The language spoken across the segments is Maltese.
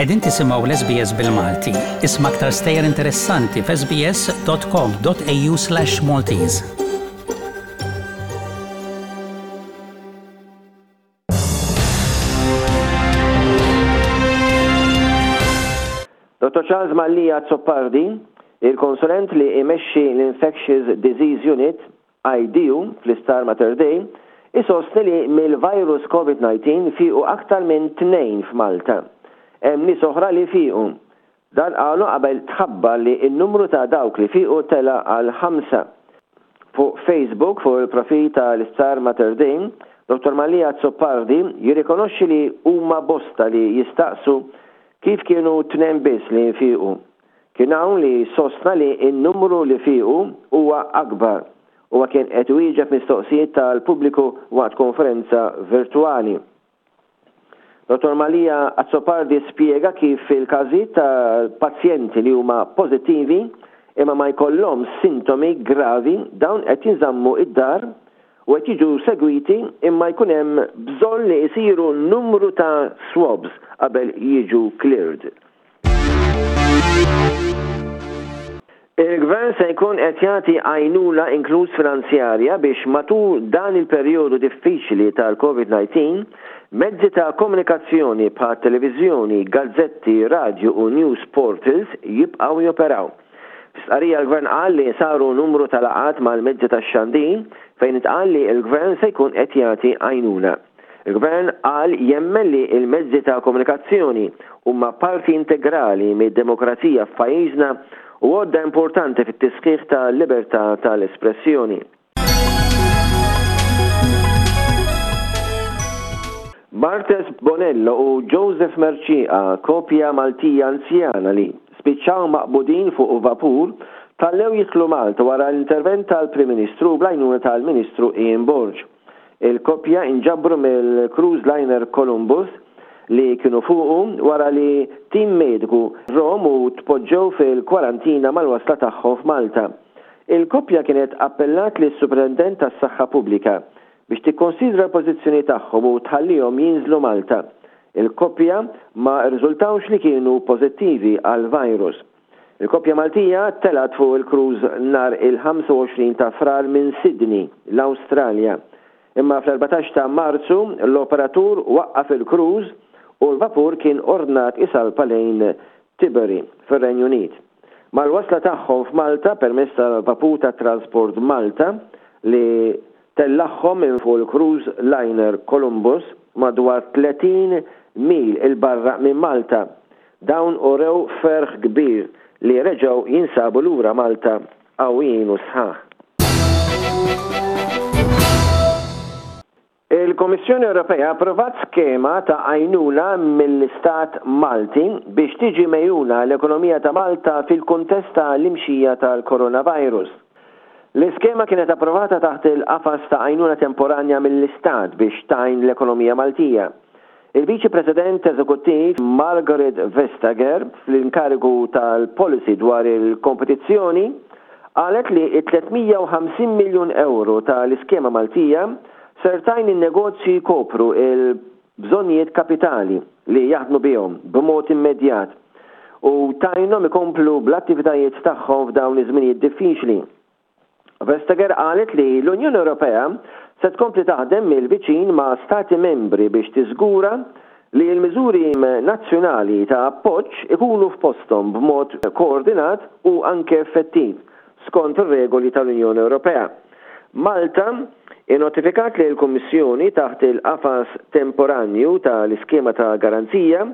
Qegħdin tisimgħu l-SBS bil-Malti. Isma' aktar stejjer interessanti f'sbs.com.au/Maltese. Dottor Charles Mallia Azzopardi, il-konsulent li imexxi l-Infectious Disease Unit, IDU, fl-Isptar Mater Dei, isostni li mill-virus Covid-19 fiequ aktar minn tnejn f'Malta. Hemm nies oħra li fiequ. Dan qalu qabel tħabbar li n-numru ta' dawk li fiequ tela' għal ħamsa. Fuq Facebook, fuq il-profil ta' l-Isptar Mater Dei, Dottor Mallia Azzopardi jirrikonoxxi li huma bosta li jistaqsu kif kienu tnejn biss li fiequ. Kien hawn li sostna li n-numru li fiequ huwa akbar. Huwa kien qed iwieġeb mistoqsijiet tal-pubbliku waqt konferenza virtwali. Dottor Mallia Azzopardi spjega kif fil-każijiet ta' pazjenti li huma pożittivi imma ma jkollhomx sintomi gravi dawn qed jinżammu d-dar u qed jiġu segwiti imma jkun hemm bżonn li jsiru numru ta' swabs qabel jiġu cleared. Il-Gvern se jkun qed jagħti għajnuna inkluż finanzjarja biex matul dan il-perjodu diffiċli tal-Covid 19, mezzi ta' komunikazzjoni bħat-televiżjoni, gazzetti, radju u news portals jibqgħu joperaw. Fi stqarrija l-Gvern qal li saru numru ta' laqgħat mal-mezzi tax-xandir fejn intqal li l-Gvern se jkun qed jagħti għajnuna. Il-Gvern qal jemmen li l-mezzi ta' komunikazzjoni huma parti integrali mid-demokrazija f'pajjiżna u għodda importanti fit-tisħiħ tal-libertà tal-espressjoni. Barthes Bonello u Joseph Mercieca, koppja Maltija anzjana li spiċċaw maqbudin fuq vapur, tħallew jidħlu Malta wara l-intervent tal-Prim Ministru u bl-għajnuna tal-Ministru Ian Borg. Il-koppja inġabru mill-cruise liner Columbus li kienu fuqu wara li tim mediku żarhom u tpoġġew fil-kwarantina mal-wasla tagħhom f'Malta. Il-koppja kienet appellat lis-Supretendent tas-Saħħa Pubblika biex tikkonsidra l-pożizzjoni tagħhom u tħallihom jinżlu Malta. Il-koppja ma rriżultawx li kienu pożittivi għall-virus. Il-koppja Maltija telgħet fuq il-cruise nhar il-25 ta' Frar minn Sydney, l-Awstralja. Imma fl-14 ta' Marzu, l-operatur waqqaf il-cruise u l-vapur kien ordnat isalpa lejn Tilbury, fir-Renju Unit. Mal-wasla tagħhom f'Malta permezz tal-vapur ta' Transport Malta li tellagħhom minn fuq il-cruise liner Columbus madwar 30 mil 'il barra minn Malta, Dawn urew ferħ kbir li reġgħu jinsabu lura Malta qawwijin u sħaħ. Il-Kummissjoni Ewropea approvat skema ta' għajnuna mill-Istat Malti biex tiġi megħjuna l-ekonomija ta' Malta fil-kuntest ta' l-imxija tal-coronavirus. L-iskema kienet approvata taħt il-qafas ta' għajnuna temporanja mill-Istat biex tgħin l-ekonomija Maltija. Il-Viċi President Eżekuttiv Margaret Vestager fl-inkarigu tal-Policy dwar il-Kompetizzjoni qalet li t-350 miljun ewro ta' l-iskema Maltija ser tgħin in-negozji jkopru l-bżonnijiet kapitali li jaħdmu bihom b'mod immedjat u tgħinhom ikomplu bl-attivitajiet tagħhom f'dawn iż-żminijiet diffiċli. Vestager qalet li l-Unjoni Ewropea se tkompli taħdem mill-viċin ma' Stati Membri biex tiżgura li l-miżuri nazzjonali ta' appoġġ ikunu f'posthom b'mod koordinat u anke effettiv skont ir-regoli tal-Unjoni Ewropea. Malta innotifikat lill-Kummissjoni taħt il-qafas temporanju tal-iskema ta' garanzija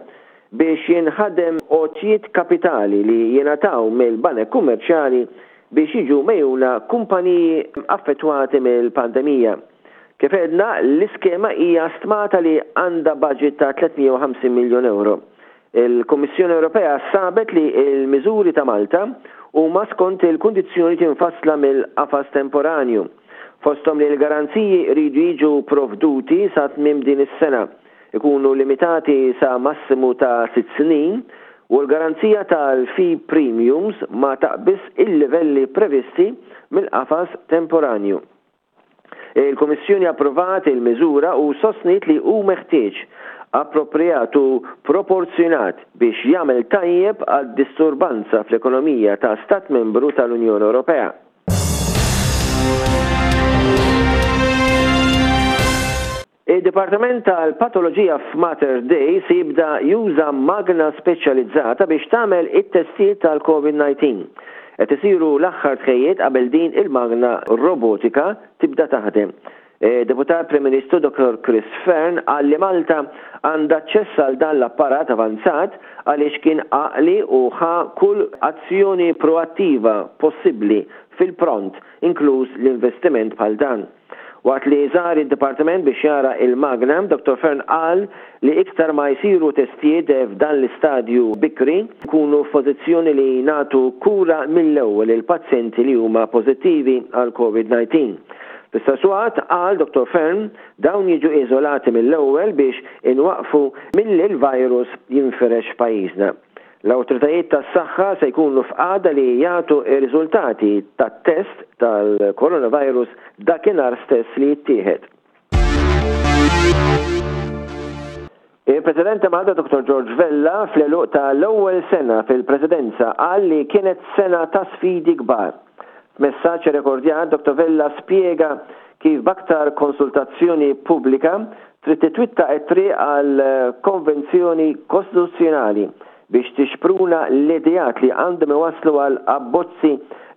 biex jinħadem għotjiet kapitali li jingħataw mill-banek kummerċjali biex jiġu megħjuna kumpaniji affettwati mill-pandemija. Kif għedna, l-iskema hija stmata li għandha baġit ta' 350 miljun ewro. Il-Kummissjoni Ewropea sabet li l-miżuri ta' Malta huma skont il-kundizzjonijiet imfassla mill-qafas temporanju, fosthom li l-garanziji jridu jiġu provduti sa tmiem din is-sena. ikunu limitati sa massimu ta' sitt snin u l-garanzija tal-fee premiums ma taqbiżx il-livelli previsti mill-qafas temporanju. Il-Kummissjoni approvat il-miżura u sostniet li hu meħtieġ. approprjat u proporzjonat biex jagħmel tajjeb għad-disturbanza fl-ekonomija ta' Stat Membru tal-Unjoni Ewropea. Id-Dipartiment tal-Patoloġija f'Mater Dei se jibda juża magna speċjalizzata biex tagħmel it-testijiet tal-Covid-19. Qed isiru l-aħħar tħejjiet qabel din il-magna robotika tibda taħdem. Deputat Prim Ministru Dottor Chris Fearne qal li Malta għandha aċċess għal dan l-apparat avanzat għaliex kien għaqli u ħa kull azzjoni proattiva possibbli fil-pront, inkluż l-investiment bħal dan. Waqt li żar id-dipartiment biex jara il-magna, Dottor Fearne qal li iktar ma jsiru testijiet f'dan l-istadju bikri, nkunu f'pożizzjoni li nagħtu kura mill-ewwel lill-pazjenti li huma pożittivi għall-Covid-19. Fl-istess waqt, qal Dottor Fearne, dawn jiġu iżolati mill-ewwel biex inwaqqfu milli l-virus jinfirex f'pajjiżna. L-awtoritajiet tas-saħħa se jkunu f'qagħda li jagħtu r-riżultati tat-test tal-coronavirus dakinhar stess li jittieħed. Il-President ta' Malta Dottor George Vella fl-għeluq ta' l-ewwel sena fil-Presidenza qal li kienet sena ta' sfidi kbar. F'messaġġ irrekordjat Dottor Vella spjega kif b'aktar konsultazzjoni pubblika trid titwitta t-triq għal konvenzjoni kostituzzjonali biex tixpruna l-ideat li għandhom iwasslu għal abbozzi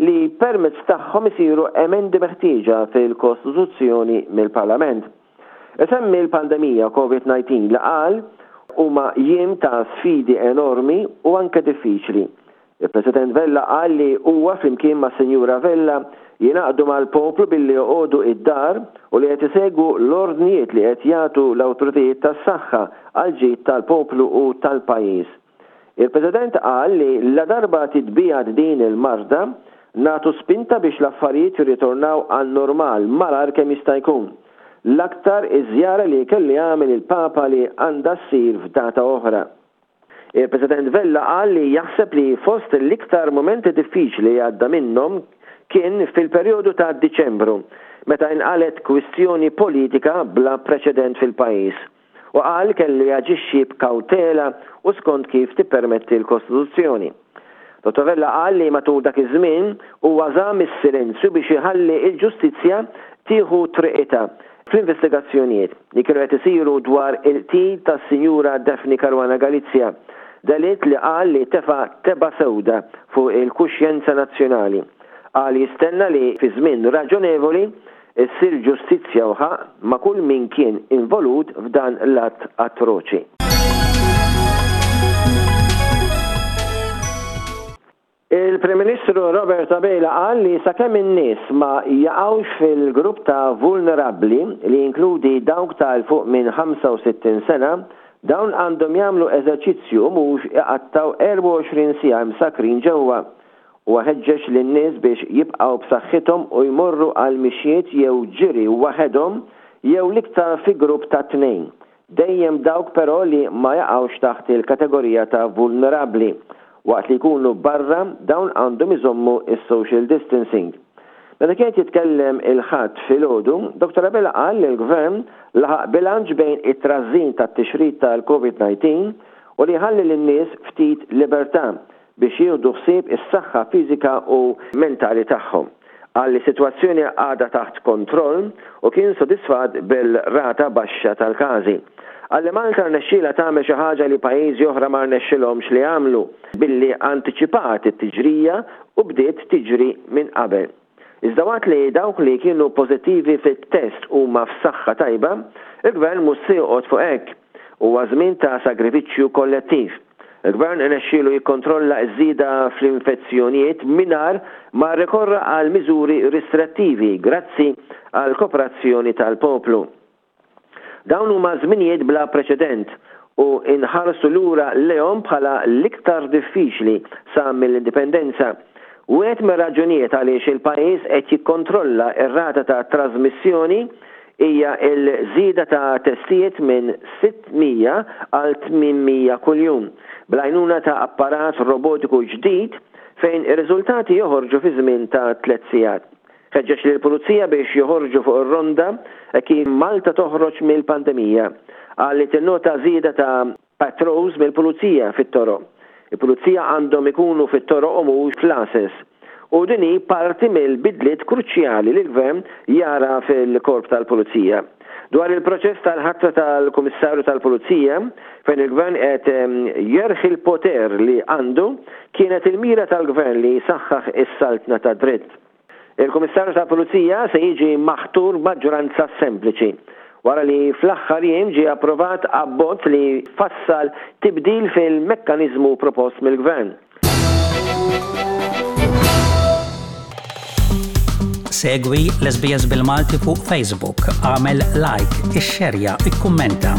li permezz tagħhom isiru emendi meħtieġa fil-Kostituzzjoni mill-Parlament. Isemmi l-pandemija Covid-19 li qal huma jiem ta' sfidi enormi u anke diffiċli. Il-President Vella qal li huwa flimkien mas-Sinjura Vella jingħaqdu mal-poplu billi joqogħdu id-dar u li qed isegwu l-ordnijiet li qed jagħtu l-awtoritajiet tas-saħħa għall-ġid tal-poplu u tal-pajjiż. Il-President qal li ladarba titbiegħed din il-marda, nagħtu spinta biex l-affarijiet jirritornaw għan-normal malajr kemm jista' jkun. L-aktar iż-żjara li kellu jagħmel il-Papa li għandha ssir f'data oħra. Il-President Vella qal li jaħseb li fost l-iktar mumenti diffiċli li għadda minnhom kien fil-perjodu ta' Diċembru, meta inqalgħet kwistjoni politika bla preċedent fil-pajjiż, u qal kellu jaġixxi b'kawtela u skont kif tippermetti l-Kostituzzjoni. Dottor Vella qal li matul dak iż-żmien huwa żamm is-silenzju biex iħalli l-ġustizzja tieħu triqitha fl-investigazzjonijiet li kienu qed isiru dwar il-qtil tas-Sinjura Daphne Caruana Galizia, delitt li qal li tefa' tebgħa sewda fuq il-kuxjenza nazzjonali. Qal jistenna li fi żmien raġonevoli Issir ġustizzja u ħaqq ma' kull min kien involut f'dan l-att atroċi. Il-Prim Ministru Robert Abela qal li sakemm in-nies ma jaqgħux fil-grupp ta' vulnerabbli li jinkludi dawk ta' 'l fuq minn 65 sena, dawn għandhom jagħmlu eżerċizzju u mhux iqattgħu 24 siegħa imsakkrin ġewwa. Huwa ħeġġeġ lin-nies biex jibqgħu b'saħħithom u jmorru għal mixjiet jew ġiri waħedhom jew l-iktar fi grupp ta' tnejn. Dejjem dawk però li ma jaqgħux taħt il-kategorija ta' vulnerabbli. Waqt li jkunu barra, dawn għandhom iżommu s-social distancing. Meta kien qed jitkellem il-Ħadd filgħodu, Dottor Abela qal li l-Gvern laħaq bilanċ bejn it-trażżin tat-tixrid tal-Covid 19 u li jħalli lin-nies ftit libertà biex jieħdu ħsieb is-saħħa fiżika u mentali tagħhom. Qal li s-sitwazzjoni għadha taħt kontroll u kien sodisfatt bil-rata baxxa tal-każi. Qal li Malta rnexxielha tagħmel xi ħaġa li pajjiżi oħra ma rnexxilhomx li jagħmlu billi antiċipat it-tiġrija u bdiet tiġri minn qabel. Iżda waqt li dawk li kienu pożittivi fit-test huma f'saħħa tajba, il-Gvern mhux se joqgħod fuq hekk. Huwa żmien ta' sagrifiċċju kollettiv. Il-Gvern irnexxielu jikkontrolla ż-żieda fl-infezzjonijiet mingħajr ma rrikorra għal miżuri ristrettivi grazzi għall-koperazzjoni tal-poplu. Dawn huma żminijiet bla preċedent u nħarsu lura lejhom bħala l-iktar diffiċli sa mill-Indipendenza. Wieħed mir-raġunijiet għaliex il-pajjiż qed jikkontrolla r-rata ta' trażmissjoni hija l-żieda ta' testijiet minn 600 għal 800 kuljum, bl-għajnuna ta' apparat robotiku ġdid fejn ir-riżultati joħorġu fi żmien ta' tlett sigħat. Ħeġġeġ lill-Pulizija biex joħorġu fuq ir-ronda hekk kif Malta toħroġ mill-pandemija. Qal li tinnota żieda ta' patrols mill-Pulizija fit-toroq. Il-Pulizija għandhom ikunu fit-toroq u mhux fl-għases. U din hi parti mill-bidliet kruċjali li l-Gvern jara fil-Korp tal-Pulizija. Dwar il-proċess tal-ħatra tal-Kummissarju tal-Pulizija, fejn il-Gvern qed jerħi l-poter li għandu, kienet il-mira tal-Gvern li jsaħħaħ is-saltna tad-dritt. Il-Kummissarju tal-Pulizija se jiġi maħtur b'maġġoranza sempliċi, wara li fl-aħħar jiem ġie approvat abbozz li fassal tibdil fil-mekkaniżmu propost mill-Gvern. Segwi l-SBS bil-Malti fuq Facebook, għamel like, ixxerja, ikkummenta.